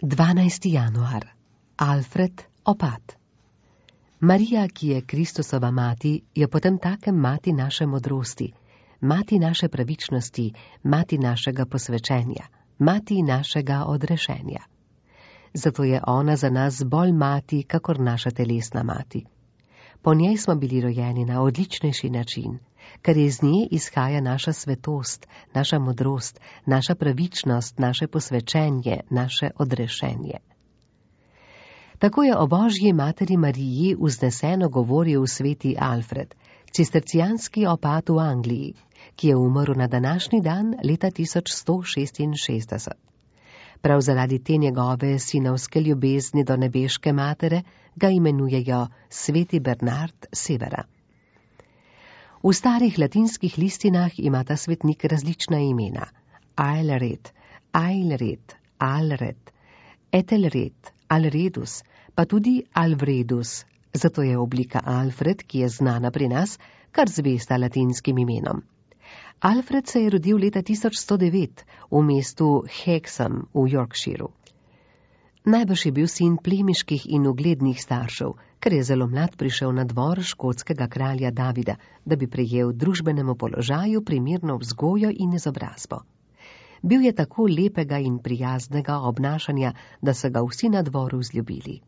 12. januar. Alfred, opat. Marija, ki je Kristusova mati, je potem takem mati naše modrosti, mati naše pravičnosti, mati našega posvečenja, mati našega odrešenja. Zato je ona za nas bolj mati, kakor naša telesna mati. Po njej smo bili rojeni na odličnejši način, ker iz nje izhaja naša svetost, naša modrost, naša pravičnost, naše posvečenje, naše odrešenje. Tako je o Božji materi Mariji vzneseno govoril sveti Alfred, cistercijanski opat v Angliji, ki je umrl na današnji dan leta 1166. Prav zaradi te njegove sinovske ljubezni do nebeške matere ga imenujejo sveti Bernard Severa. V starih latinskih listinah ima ta svetnik različna imena: Aelred, Ailred, Alred, Ethelred, Alredus, pa tudi Alvredus, zato je oblika Alfred, ki je znana pri nas, kar zvesta latinskim imenom. Alfred se je rodil leta 1109 v mestu Hexham v Yorkshireu. Najbrž je bil sin plemiških in uglednih staršev, ker je zelo mlad prišel na dvor škotskega kralja Davida, da bi prejel družbenemu položaju primerno vzgojo in izobrazbo. Bil je tako lepega in prijaznega obnašanja, da so ga vsi na dvoru vzljubili.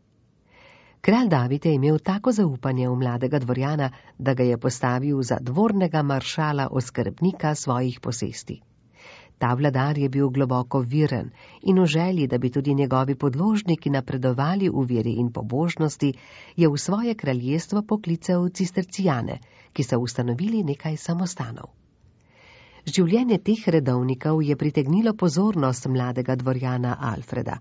Kralj David je imel tako zaupanje v mladega dvorjana, da ga je postavil za dvornega maršala oskrbnika svojih posesti. Ta vladar je bil globoko viren in v želji, da bi tudi njegovi podložniki napredovali v veri in pobožnosti, je v svoje kraljestvo poklical cistercijane, ki so ustanovili nekaj samostanov. Življenje teh redovnikov je pritegnilo pozornost mladega dvorjana Alfreda.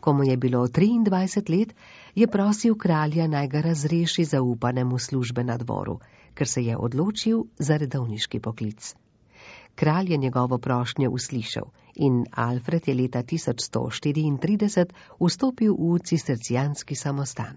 Ko mu je bilo 23 let, je prosil kralja, naj ga razreši zaupanemu službe na dvoru, ker se je odločil za redovniški poklic. Kralj je njegovo prošnjo uslišal in Alfred je leta 1134 vstopil v cistercijanski samostan.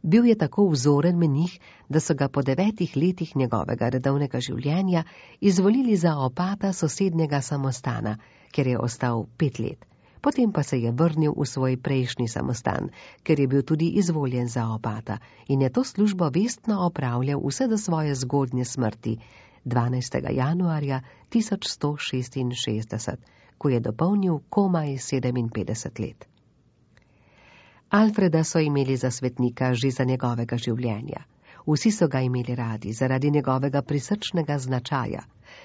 Bil je tako vzoren menih, da so ga po 9 letih njegovega redovnega življenja izvolili za opata sosednjega samostana, kjer je ostal 5 let. Potem pa se je vrnil v svoj prejšnji samostan, ker je bil tudi izvoljen za opata in je to službo vestno opravljal vse do svoje zgodnje smrti, 12. januarja 1166, ko je dopolnil komaj 57 let. Alfreda so imeli za svetnika že za njegovega življenja. Vsi so ga imeli radi zaradi njegovega prisrčnega značaja.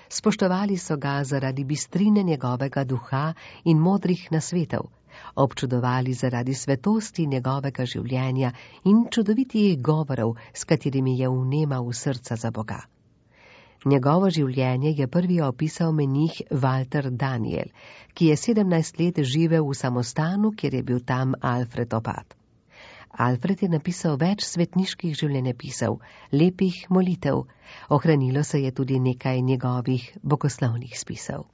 Spoštovali so ga zaradi bistrine njegovega duha in modrih nasvetov, občudovali zaradi svetosti njegovega življenja in čudovitih govorov, s katerimi je vnemal v srca za Boga. Njegovo življenje je prvi opisal menih Walter Daniel, ki je 17 let živel v samostanu, kjer je bil tam Alfred opat. Alfred je napisal več svetniških življenjepisov, lepih molitev, ohranilo se je tudi nekaj njegovih bogoslovnih spisov.